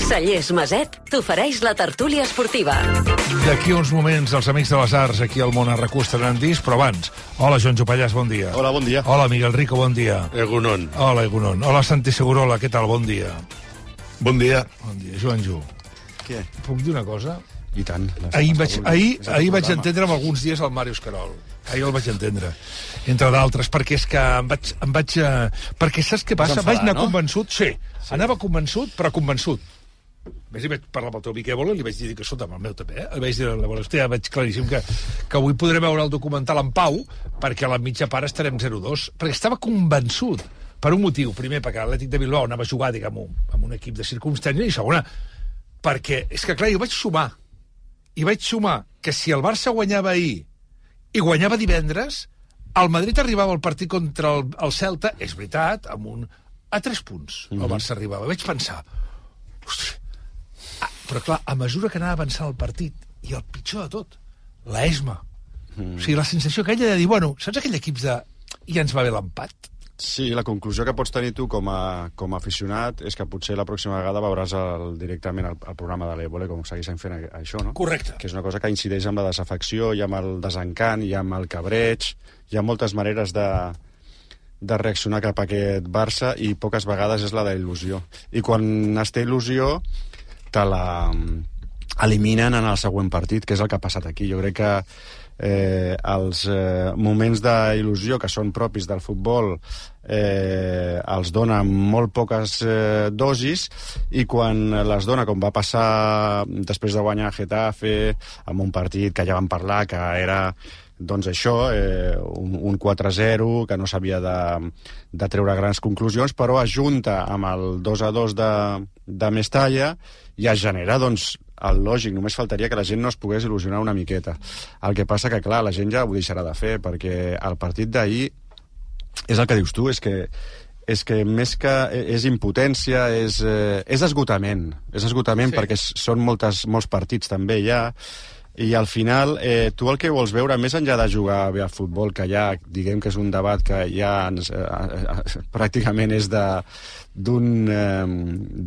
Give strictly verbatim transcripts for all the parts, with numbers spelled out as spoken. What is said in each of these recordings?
Cellers Maset t'ofereix la tertúlia esportiva. D'aquí uns moments, els amics de les arts aquí al món Arracú estaran disc, però abans. Hola, Joan Jopallàs, bon dia. Hola, bon dia. Hola, Miguel Rico, bon dia. Egunon. Hola, Egunon. Hola, Santi Segurola, què tal? Bon dia. Bon dia. Bon dia, Joan Ju. Què? Puc dir una cosa? I tant. Ahir vaig, ahir, ahir vaig entendre amb alguns dies el Màrius Carol. Ahir el vaig entendre, entre d'altres, perquè és que em vaig... Em vaig uh, perquè saps què passa? Enfadar, vaig anar no? convençut, sí, sí, anava convençut, però convençut. Més hi vaig parlar amb el teu amic Ébola i li vaig dir que sota amb el meu també, eh? Li vaig dir, hòstia, veig claríssim que, que avui podrem veure el documental en pau, perquè a la mitja part estarem zero dos, perquè estava convençut, per un motiu, primer, perquè l'Atlètic de Bilbao anava a jugar, diguem, amb un equip de circumstància, i segona, perquè, és que clar, jo vaig sumar, i vaig sumar que si el Barça guanyava ahir i guanyava divendres, el Madrid arribava al partit contra el, el Celta, és veritat, amb un... a tres punts mm-hmm. el Barça arribava. Vaig pensar, ostres, ah, però clar, a mesura que anava avançant el partit, i el pitjor de tot, l'esma. Mm. O sigui, la sensació aquella de dir, bueno, saps aquell equip de... ja ens va bé l'empat? Sí, la conclusió que pots tenir tu com a, com a aficionat és que potser la pròxima vegada veuràs el, directament el, el programa de l'Ébola com segueixen fent això, no? Correcte. Que és una cosa que incideix amb la desafecció i amb el desencant i amb el cabreig. Hi ha moltes maneres de, de reaccionar cap a aquest Barça i poques vegades és la d'il·lusió. I quan es té il·lusió te la eliminen en el següent partit, que és el que ha passat aquí. Jo crec que Eh, els eh, moments d'il·lusió que són propis del futbol eh, els dona molt poques eh, dosis, i quan les dona, com va passar després de guanyar Getafe, amb un partit que ja vam parlar que era doncs això, eh, un, un quatre zero, que no s'havia de, de treure grans conclusions, però ajunta amb el dos a dos de, de Mestalla i es genera, doncs, el lògic, només faltaria que la gent no es pogués il·lusionar una miqueta. El que passa que, clar, la gent ja ho deixarà de fer, perquè el partit d'ahir és el que dius tu, és que és que més que és impotència, és, eh, és esgotament, és esgotament sí. Perquè són moltes, molts partits també ja, i al final eh, tu el que vols veure, més enllà de jugar bé al futbol, que ja diguem que és un debat que ja ens, eh, eh, pràcticament és de d'un eh,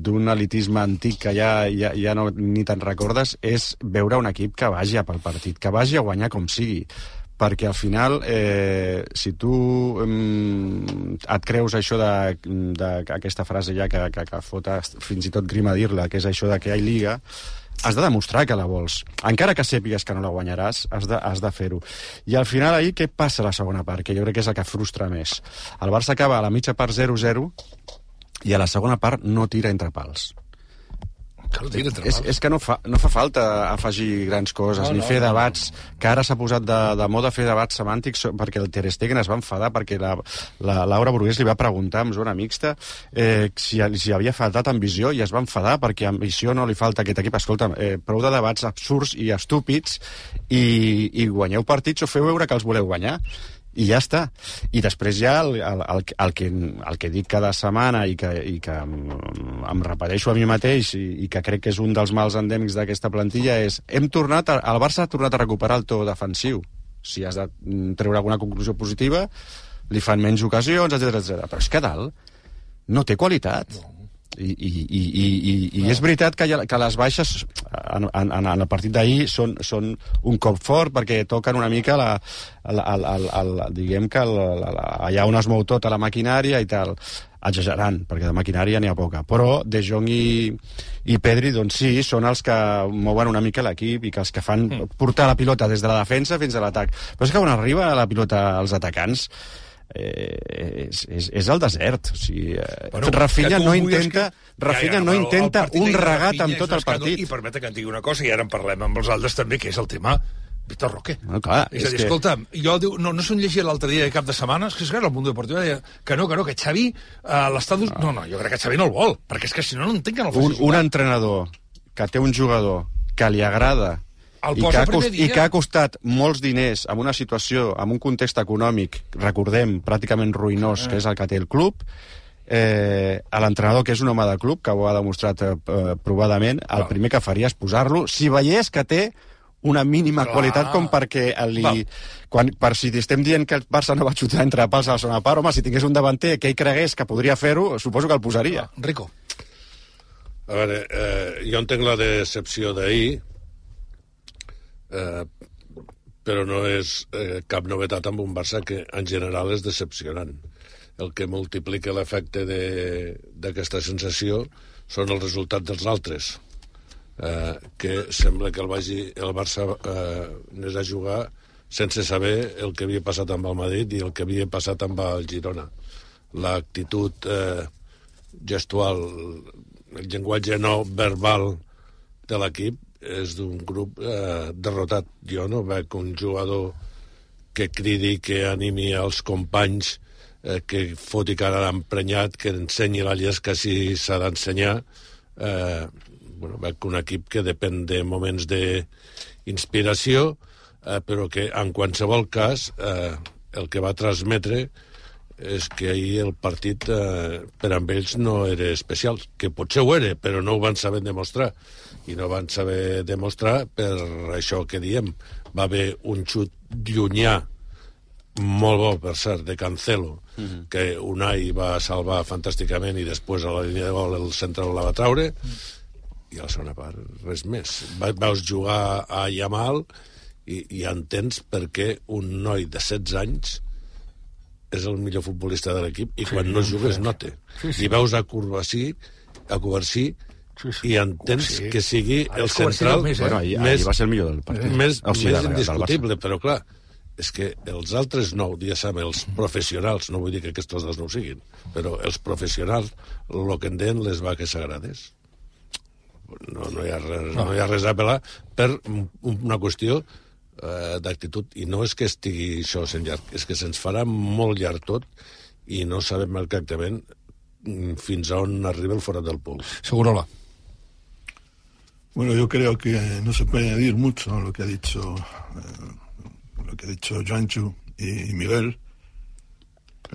d'un elitisme antic que ja, ja, ja no ni te'n recordes, és veure un equip que vagi a pel partit, que vagi a guanyar com sigui, perquè al final eh, si tu eh, et creus això d'aquesta frase ja que, que, que fota fins i tot grima dir-la, que és això de que hi ha lliga, has de demostrar que la vols. Encara que sàpigues que no la guanyaràs, has de, has de fer-ho. I al final ahir què passa a la segona part? Que jo crec que és el que frustra més. El Barça acaba a la mitja part zero zero i a la segona part no tira entre pals. Que no tira entre és, pals. és que no fa, no fa falta afegir grans coses, no, ni no, fer debats, no, no. Que ara s'ha posat de, de moda fer debats semàntics, perquè el Ter Stegen es va enfadar, perquè la, la Laura Brugués li va preguntar en zona mixta eh, si, si havia faltat ambició, i es va enfadar perquè ambició no li falta a aquest equip. Escolta, eh, prou de debats absurds i estúpids, i, i guanyeu partits o feu veure que els voleu guanyar. I ja està. I després ja el, el, el, el, que, el que dic cada setmana i que, i que em, em repeteixo a mi mateix i, i que crec que és un dels mals endèmics d'aquesta plantilla és, hem tornat a, el Barça ha tornat a recuperar el to defensiu. Si has de treure alguna conclusió positiva, li fan menys ocasions, etcètera, etcètera. Però és que dalt no té qualitat. No. I, i, i, i, i, i és veritat que, ha, que les baixes en, en, en el partit d'ahir són, són un cop fort, perquè toquen una mica la, la, la, la, la, diguem que la, la, la, allà on es mou tota la maquinària i tal, exagerant, perquè de maquinària n'hi ha poca, però De Jong i, i Pedri, doncs sí, són els que mouen una mica l'equip i que els que fan portar la pilota des de la defensa fins a l'atac. Però és que quan arriba la pilota als atacants Eh, és, és, és el desert. O sigui, eh, bueno, Rafinha no intenta que... Rafinha ja, ja, no intenta un regat amb tot el partit. I permeta que et digui una cosa, i ara en parlem amb els altres també, que és el tema Vitor Roque. Bueno, clar, és, és a dir, que... escolta, jo diu, no, no s'ho llegia l'altre dia de cap de setmana, és que és clar, el Mundo Deportiu deia que no, que no, que Xavi uh, l'estadi... No. no, no, jo crec que Xavi no el vol, perquè és que si no, no entenc que no el faci. Un, un entrenador que té un jugador que li agrada I que, ha cost, i que ha costat molts diners en una situació, en un context econòmic, recordem, pràcticament ruïnós, que és el que té el club, eh, a l'entrenador, que és un home de club, que ho ha demostrat eh, provadament, el primer que faria és posar-lo, si veiés que té una mínima Clar. qualitat com perquè li... Quan, per si estem dient que el Barça no va xutar entre pals a la segona part, home, si tingués un davanter que ell cregués que podria fer-ho, suposo que el posaria. Rico. A veure, eh, jo entenc la decepció d'ahir, eh, però no és eh, cap novetat amb un Barça que en general és decepcionant. El que multiplica l'efecte d'aquesta sensació són els resultats dels altres, eh, que sembla que el, vagi, el Barça eh, anés a jugar sense saber el que havia passat amb el Madrid i el que havia passat amb el Girona. L'actitud eh, gestual, el llenguatge no verbal de l'equip és d'un grup eh, derrotat. Jo no veig un jugador que cridi, que animi els companys, eh, que foti cara d'emprenyat, que ensenyi la llesca si s'ha d'ensenyar. Eh, bueno, veig un equip que depèn de moments d'inspiració, eh, però que en qualsevol cas eh, el que va transmetre és que ahir el partit eh, per amb ells no era especial, que potser ho era, però no ho van saber demostrar. I no van saber demostrar per això que diem. Va haver un xut llunyà, molt bo, per cert, de Cancelo, mm-hmm. que Unai va salvar fantàsticament i després a la línia de gol el central la va traure, mm. i a la segona part res més. Va, vaus jugar a Yamal i, i entens per què un noi de setze anys és el millor futbolista de l'equip i sí, quan no jugues sí. no té. Sí, sí. I veus a Covarsí, a Covarsí sí, sí. i entens sí. que sigui el ah, central més, eh? bueno, ahir, més, ahir va ser el millor del partit. Més, o sigui, més indiscutible, però clar, és que els altres nou, diguéssim, els professionals, no vull dir que aquests dos no ho siguin, però els professionals, el que en deien les vaques sagrades. No, no, hi ha res, no. no hi ha res a apel·lar per una qüestió eh, d'actitud, i no és que estigui això sent llarg, és que se'ns farà molt llarg tot i no sabem exactament fins a on arriba el forat del pols. Segurola. Bueno, yo creo que no se puede añadir mucho a lo que ha dicho eh, lo que ha dicho Joanchu y, y Miguel.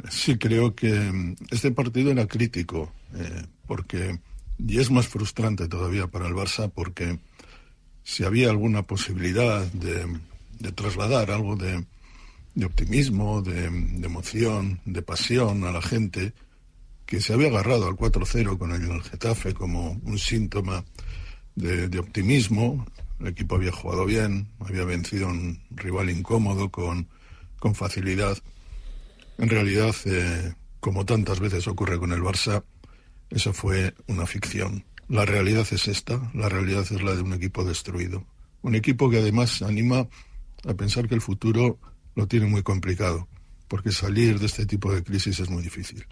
Sí creo que este partido era crítico, eh, porque y es más frustrante todavía para el Barça, porque si había alguna posibilidad de, de trasladar algo de, de optimismo, de, de emoción, de pasión a la gente, que se había agarrado al cuatro cero con el Getafe como un síntoma de, de optimismo. El equipo había jugado bien, había vencido a un rival incómodo con, con facilidad. En realidad, eh, como tantas veces ocurre con el Barça, eso fue una ficción. La realidad es esta, la realidad es la de un equipo destruido. Un equipo que además anima a pensar que el futuro lo tiene muy complicado, porque salir de este tipo de crisis es muy difícil.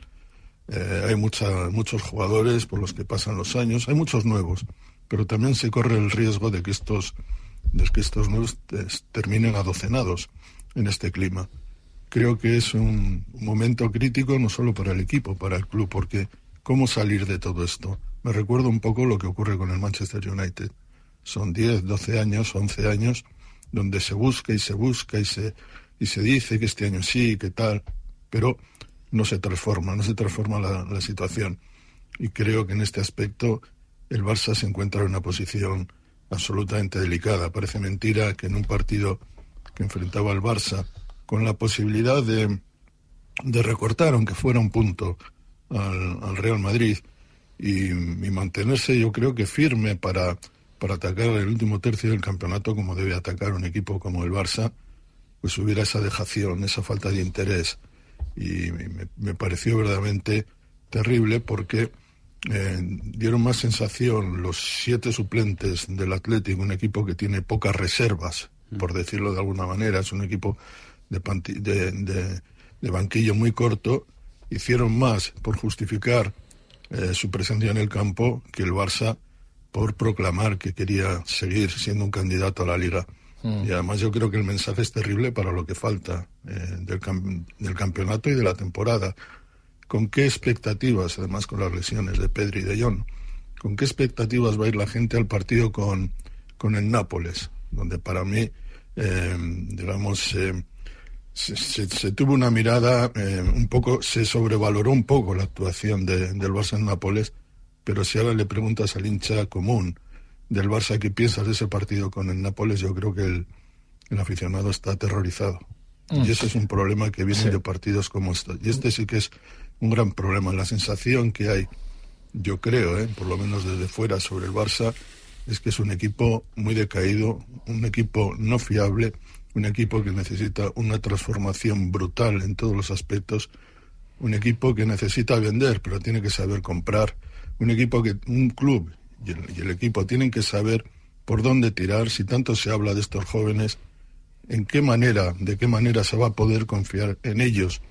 Eh, hay mucha, muchos jugadores por los que pasan los años, hay muchos nuevos, pero también se corre el riesgo de que estos, de que estos nuevos terminen adocenados en este clima. Creo que es un, un momento crítico no solo para el equipo, para el club, porque ¿cómo salir de todo esto? Me recuerda un poco lo que ocurre con el Manchester United. Son diez, doce años, once años, donde se busca y se busca y se, y se dice que este año sí, que tal, pero no se transforma, no se transforma la, la situación. Y creo que en este aspecto el Barça se encuentra en una posición absolutamente delicada. Parece mentira que en un partido que enfrentaba al Barça con la posibilidad de, de recortar, aunque fuera un punto, al, al Real Madrid y, y mantenerse, yo creo que firme para, para atacar el último tercio del campeonato como debe atacar un equipo como el Barça, pues hubiera esa dejación, esa falta de interés. Y me, me pareció verdaderamente terrible porque eh, dieron más sensación los siete suplentes del Athletic, un equipo que tiene pocas reservas, por decirlo de alguna manera, es un equipo de, panti- de, de, de banquillo muy corto, hicieron más por justificar eh, su presencia en el campo que el Barça por proclamar que quería seguir siendo un candidato a la Liga. Mm. Y además yo creo que el mensaje es terrible para lo que falta eh, del, cam- del campeonato y de la temporada. ¿Con qué expectativas, además con las lesiones de Pedri y de Jong, con qué expectativas va a ir la gente al partido con, con el Nápoles? Donde para mí, eh, digamos, eh, se, se, se tuvo una mirada eh, un poco, se sobrevaloró un poco la actuación de, del Barça en Nápoles, pero si ahora le preguntas al hincha común del Barça qué piensas de ese partido con el Nápoles, yo creo que el, el aficionado está aterrorizado. Mm. Y ese es un problema que viene sí. de partidos como estos. Y este sí que es un gran problema, la sensación que hay yo creo, ¿eh? por lo menos desde fuera, sobre el Barça, es que es un equipo muy decaído, un equipo no fiable, un equipo que necesita una transformación brutal en todos los aspectos, un equipo que necesita vender, pero tiene que saber comprar, un equipo que, un club y el, y el equipo tienen que saber por dónde tirar. Si tanto se habla de estos jóvenes, en qué manera, de qué manera se va a poder confiar en ellos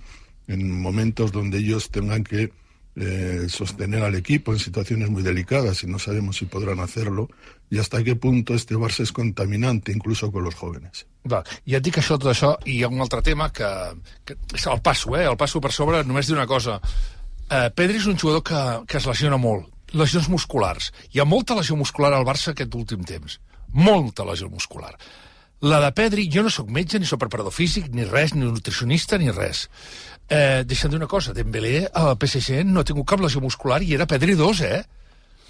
en momentos donde ellos tengan que eh, sostener al equipo en situaciones muy delicadas, y no sabemos si podrán hacerlo, i hasta qué punto este Barça és contaminante incluso con los jóvenes. Va, ja et dic això, tot això, i hi ha un altre tema que, que és el passo, eh? El passo per sobre només dir una cosa. Eh, Pedri és un jugador que, que es lesiona molt, lesions musculars. Hi ha molta lesió muscular al Barça aquest últim temps. Molta lesió muscular. La de Pedri, jo no sóc metge, ni sóc preparador físic, ni res, ni nutricionista, ni res. Eh, deixa'm dir una cosa, Dembélé al P S G no ha tingut cap lesió muscular i era Pedri dos, eh?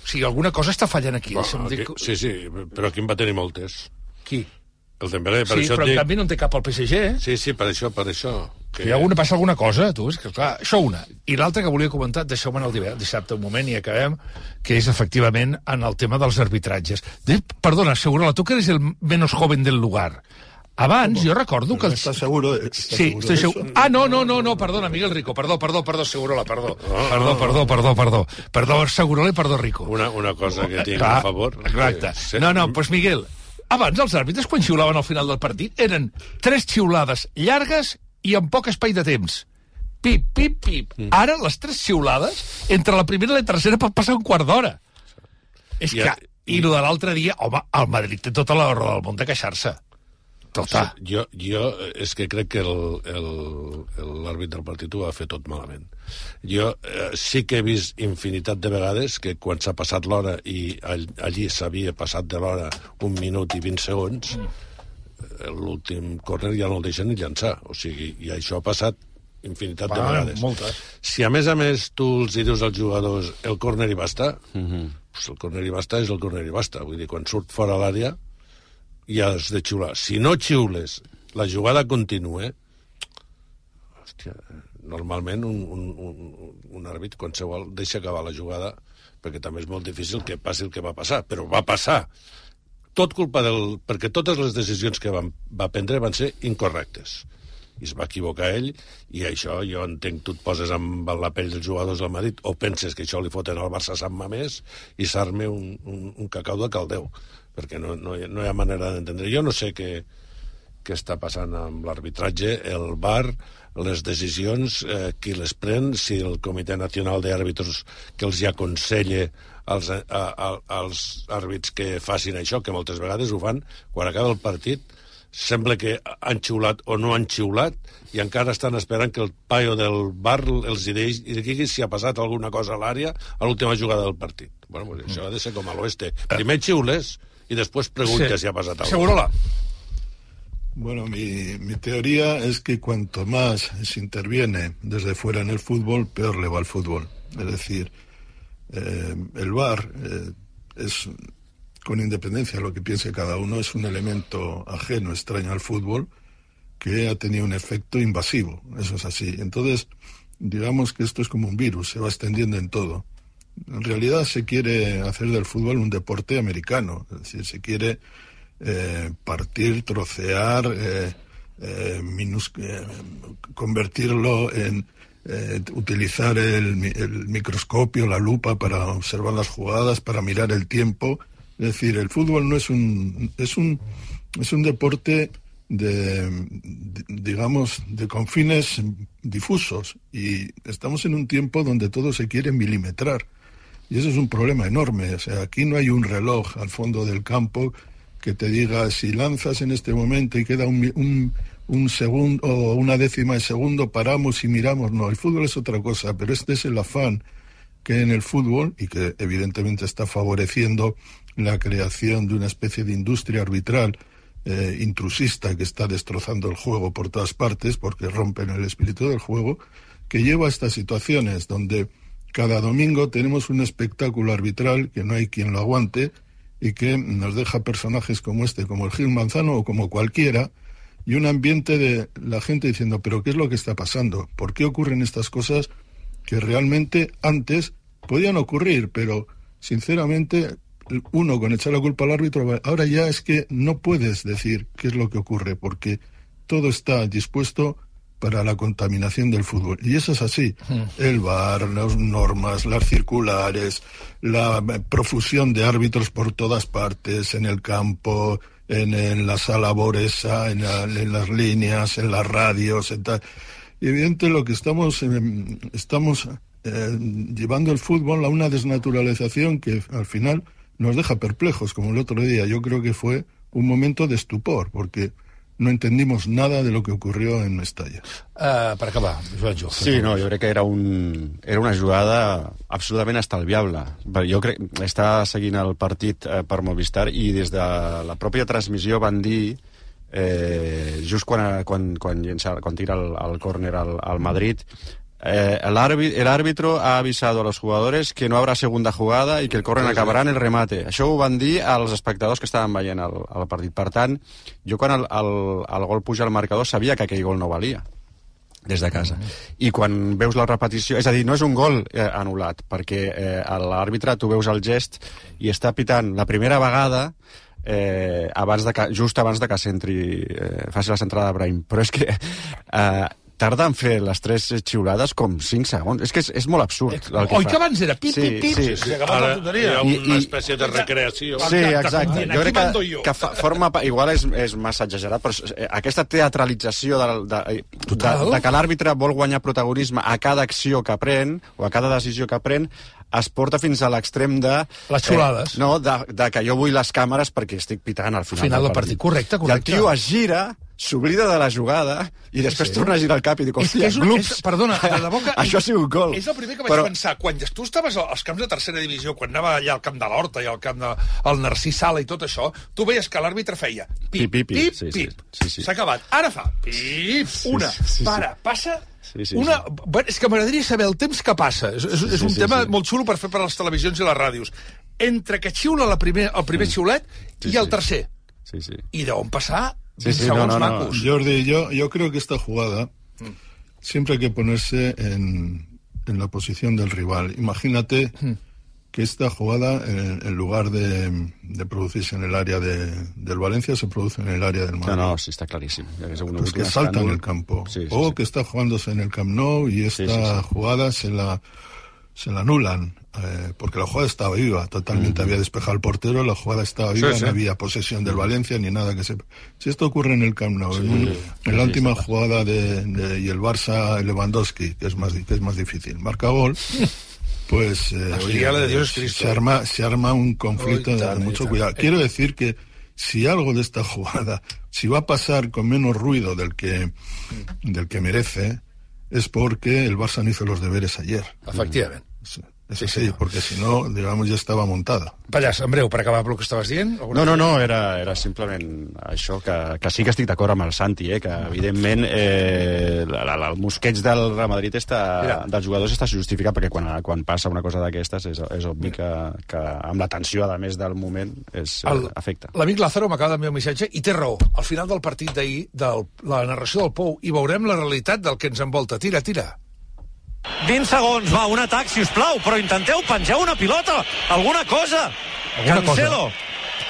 O sigui, alguna cosa està fallant aquí. Bueno, aquí dir... Sí, sí, però aquí en va tenir moltes. Qui? El Dembélé, per sí, això però dic... en canvi no en té cap al P S G, eh? Sí, sí, per això, per això. Que... Hi ha alguna, passa alguna cosa, tu, és que clar, això una. I l'altra que volia comentar, deixeu-me el dissabte un moment i acabem, que és efectivament en el tema dels arbitratges. De, perdona, Segurola, tu que eres el menos joven del lugar. Abans, jo recordo que... Els... ¿Estás seguro? ¿Estás sí, seguro estoy seguro. Ah, no, no, no, no, perdona, Miguel Rico, perdó, perdó, perdó, Segurola, perdó. Perdó, perdó, perdó, perdó. Perdó, Segurola i perdó, Rico. Una, una cosa que tinc clar, a favor... Exacte. Que... No, no, doncs pues Miguel, abans els àrbitres, quan xiulaven al final del partit, eren tres xiulades llargues i amb poc espai de temps. Pip, pip, pip. Mm. Ara, les tres xiulades, entre la primera i la tercera pot passar un quart d'hora. És que... I, i lo de l'altre dia, home, el Madrid té tota la raó del món de queixar-se. Tota. Jo, jo és que crec que l'àrbitre del partit ho va fer tot malament. Jo eh, sí que he vist infinitat de vegades que quan s'ha passat l'hora i all, allí s'havia passat de l'hora un minut i vint segons, mm. l'últim córner ja no el deixen ni llançar. O sigui, i això ha passat infinitat Va, de vegades. Moltes. Si a més a més tu els dius als jugadors el córner i basta, mm -hmm. pues el córner i basta és el córner i basta. Vull dir, quan surt fora l'àrea ja has de xiular. Si no xiules, la jugada continua, hòstia, normalment un, un, un, un àrbit qualsevol deixa acabar la jugada, perquè també és molt difícil que passi el que va passar, però va passar. Tot culpa del... perquè totes les decisions que van, va prendre van ser incorrectes. I es va equivocar ell, i això jo entenc, tu et poses amb la pell dels jugadors del Madrid, o penses que això li foten al Barça Sant Mamés i s'arme un, un, un cacau de caldeu, perquè no, no, hi ha, no hi ha manera d'entendre. Jo no sé què, què està passant amb l'arbitratge, el V A R, les decisions, eh, qui les pren, si el Comitè Nacional d'Àrbitres que els hi aconsella als, a, a, als àrbits que facin això, que moltes vegades ho fan, quan acaba el partit, sembla que han xiulat o no han xiulat i encara estan esperant que el paio del bar els digui si ha passat alguna cosa a l'àrea a l'última jugada del partit. Bueno, pues això ha de ser com a l'oeste. Primer xiules y después pregunta sí. si ha pasado algo. Segurola. Bueno, mi, mi teoría es que cuanto más se interviene desde fuera en el fútbol, peor le va al fútbol. Es decir, eh, el V A R eh, es, con independencia de lo que piense cada uno, es un elemento ajeno, extraño al fútbol, que ha tenido un efecto invasivo. Eso es así. Entonces, digamos que esto es como un virus, se va extendiendo en todo. En realidad se quiere hacer del fútbol un deporte americano, es decir, se quiere eh, partir, trocear, eh, eh, minus, eh, convertirlo en eh, utilizar el, el microscopio, la lupa para observar las jugadas, para mirar el tiempo. Es decir, el fútbol no es un es un es un deporte de, de digamos de confines difusos, y estamos en un tiempo donde todo se quiere milimetrar. Y eso es un problema enorme. O sea, aquí no hay un reloj al fondo del campo que te diga si lanzas en este momento y queda un, un, un segundo o una décima de segundo, paramos y miramos. No, el fútbol es otra cosa, pero este es el afán que en el fútbol, y que evidentemente está favoreciendo la creación de una especie de industria arbitral eh, intrusista que está destrozando el juego por todas partes, porque rompen el espíritu del juego, que lleva a estas situaciones donde cada domingo tenemos un espectáculo arbitral que no hay quien lo aguante y que nos deja personajes como este, como el Gil Manzano o como cualquiera, y un ambiente de la gente diciendo, pero ¿qué es lo que está pasando? ¿Por qué ocurren estas cosas que realmente antes podían ocurrir, pero sinceramente uno con echar la culpa al árbitro, ahora ya es que no puedes decir qué es lo que ocurre, porque todo está dispuesto para la contaminación del fútbol. Y eso es así. El V A R, las normas, las circulares, la profusión de árbitros por todas partes, en el campo, en, en la sala Boresa, en, la, en las líneas, en las radios, en tal. Y evidente lo que estamos, eh, estamos eh, llevando el fútbol a una desnaturalización que al final nos deja perplejos, como el otro día. Yo creo que fue un momento de estupor, porque no entendimos nada de lo que ocurrió en Mestalla. Uh, per acabar, Joan Jo. Sí, no, jo crec que era, un, era una jugada absolutament estalviable. Jo crec que està seguint el partit eh, per Movistar i des de la pròpia transmissió van dir, eh, just quan, quan, quan, llença, quan tira el, el córner al, al Madrid, Eh, el, el árbitro ha avisado a los jugadores que no habrá segunda jugada i que el córner acabarà en el remate. Això ho van dir als espectadors que estaven veient el, el partit. Per tant, jo quan el, el, el gol puja al marcador sabia que aquell gol no valia des de casa. I quan veus la repetició... És a dir, no és un gol eh, anul·lat, perquè eh, l'àrbitre, tu veus el gest i està pitant la primera vegada eh, abans de que, just abans de que s'entri, eh, faci la centrada de Brahim. Però és que... Eh, tarda en fer les tres xiulades com cinc segons. És que és, és molt absurd. El que Oi fa. que abans era pip, pip, pip? Sí, sí, sí. sí. Ara hi ha una espècie de recreació. Sí, exacte. Aquí Jo crec mando que, jo. que fa, forma... Igual és, és massa exagerat, però aquesta teatralització de, de, de, de que l'àrbitre vol guanyar protagonisme a cada acció que pren, o a cada decisió que pren, es porta fins a l'extrem de... Les xulades. Eh, no, de, de que jo vull les càmeres perquè estic pitant al final, final del partit. partit. Correcte, correcte. I el tio es gira, s'oblida de la jugada i després sí, sí. torna a girar el cap i diu, hòstia, és, és, glups. És, perdona, de debò que... Això ha sigut gol. És el primer que vaig Però... pensar. Quan tu estaves als camps de tercera divisió, quan anava allà al camp de l'Horta i al camp del Narcís Sala i tot això, tu veies que l'àrbitre feia pip, pip, pip, pip, sí, pip. Sí, sí. S'ha acabat. Ara fa pip, una, sí, sí, sí. para, passa... Sí, sí, una... sí. Bueno, és que m'agradaria saber el temps que passa. És, és, és Sí, un sí, tema sí. molt xulo per fer per a les televisions i les ràdios. Entre que xiula la primer, el primer mm. xiulet Sí, i el sí. tercer. Sí, sí. I deuen passar Sí, vint sí, no, segons no, no. macos. Jordi, yo, yo creo que esta jugada mm. siempre hay que ponerse en, en la posición del rival. Imagínate mm. que esta jugada, en, en lugar de, de producirse en el área de, del Valencia, se produce en el área del Madrid. No, no, sí, está clarísimo. Pues que salta en el campo. Sí, sí, o sí. que está jugándose en el Camp Nou y esta Sí, sí, sí. jugada se la, se la anulan. Eh, porque la jugada estaba viva, totalmente Mm. había despejado el portero, la jugada estaba viva, Sí, sí. no había posesión del Valencia ni nada que se... Si esto ocurre en el Camp Nou, Sí, en, un- sí, en la sí, última está. jugada de, de- y el Barça Lewandowski, que es más, di- que es más difícil, marca gol, pues eh, La oye, filial de Dios es Cristo. se arma, se arma un conflicto Uy, de, tal, de mucho tal. cuidado. Quiero decir que si algo de esta jugada, si va a pasar con menos ruido del que, del que merece, es porque el Barça no hizo los deberes ayer. Efectivament. Sí, es Sí, así, senyor. porque si no, digamos, ya estaba montada. Pallàs, en breu, per acabar el que estaves dient. No, no, no, era, era simplement això, que, que sí que estic d'acord amb el Santi, eh, que evidentment eh, la, la, el mosqueig del Real Madrid està, Mira. dels jugadors està justificat, perquè quan, quan passa una cosa d'aquestes és, és obvi que, que amb la tensió, a més del moment, és, El- eh, afecta. L'amic Lázaro m'acaba d'enviar un missatge i té raó. Al final del partit d'ahir, de la narració del Pou, i veurem la realitat del que ens envolta. Tira, tira. vint segons, va, un atac, si us plau, però intenteu penjar una pilota, alguna cosa. Alguna Cancelo,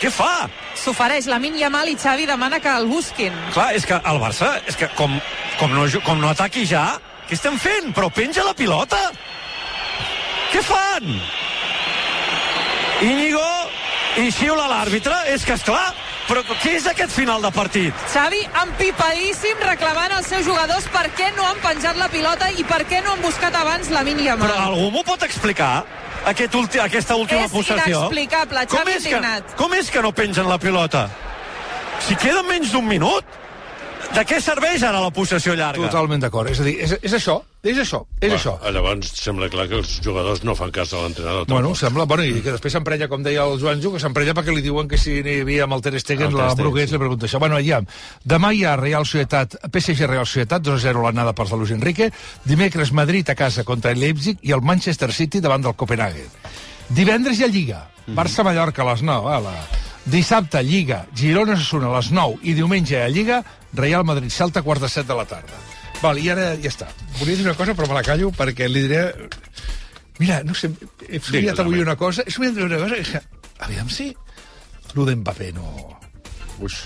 què fa? S'ofereix Lamine Yamal i Xavi demana que el busquin. Clar, és que el Barça, és que com, com, no, com no ataqui ja, què estem fent? Però penja la pilota. Què fan? Íñigo, i xiula l'àrbitre, és que, esclar, però què és aquest final de partit? Xavi empipadíssim reclamant als seus jugadors per què no han penjat la pilota i per què no han buscat abans Lamine Yamal. Però algú m'ho pot explicar? Aquest ulti, aquesta última És possessió? inexplicable, Com Xavi és, que, indignat. com és que no pengen la pilota? Si queda menys d'un minut, de què serveix ara la possessió llarga? Totalment d'acord. És a dir, és, és això, és això, és Va, això. Llavors sembla clar que els jugadors no fan cas a l'entrenador. Bueno, tampoc. sembla, bueno, i que després s'emprenya, com deia el Joan Ju, que s'emprenya perquè li diuen que si n'hi havia amb el Ter Stegen, El Ter la Stegen, Brugués sí. li pregunta això. Bueno, ja, demà hi ha Real Societat, P S G Real Societat, dos a zero l'anada per Luis Enrique, dimecres Madrid a casa contra el Leipzig i el Manchester City davant del Copenhague. Divendres hi ha Lliga, Barça-Mallorca a les nou, ala. Dissabte, Lliga, Girona-Osasuna a les nou i diumenge a Lliga, Real Madrid-Celta a quarts de set de la tarda. Val, i ara ja està. Volia dir una cosa, però me la callo perquè li diré... Mira, no sé, he somiat avui una cosa, he somiat una cosa que... Aviam si... Lo d'Mbappé no... Uix.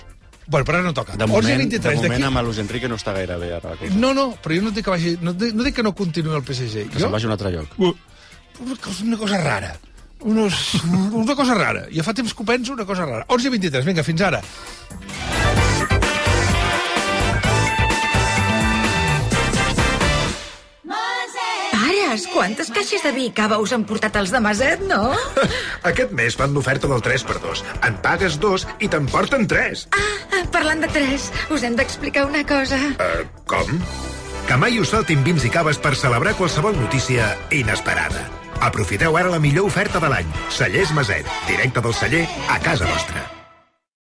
Bueno, però ara no toca. De moment, onze de moment amb Luis Enrique no està gaire bé ara. No, no, però jo no dic que vagi... No, no dic que no continuï el P S G. Que se'n vagi a un altre lloc. Una cosa, una cosa rara. Unos, una cosa rara. Ja fa temps que ho penso, una cosa rara. onze i vint-i-tres, vinga, fins ara. Quantes caixes de vi i cava us han portat els de Maset, no? Aquest mes fan l'oferta del tres per dos. En pagues dos i te'n porten tres. Ah, parlant de tres, us hem d'explicar una cosa. Uh, com? Que mai us faltin vins i caves per celebrar qualsevol notícia inesperada. Aprofiteu ara la millor oferta de l'any. Cellers Maset, directe del celler a casa vostra.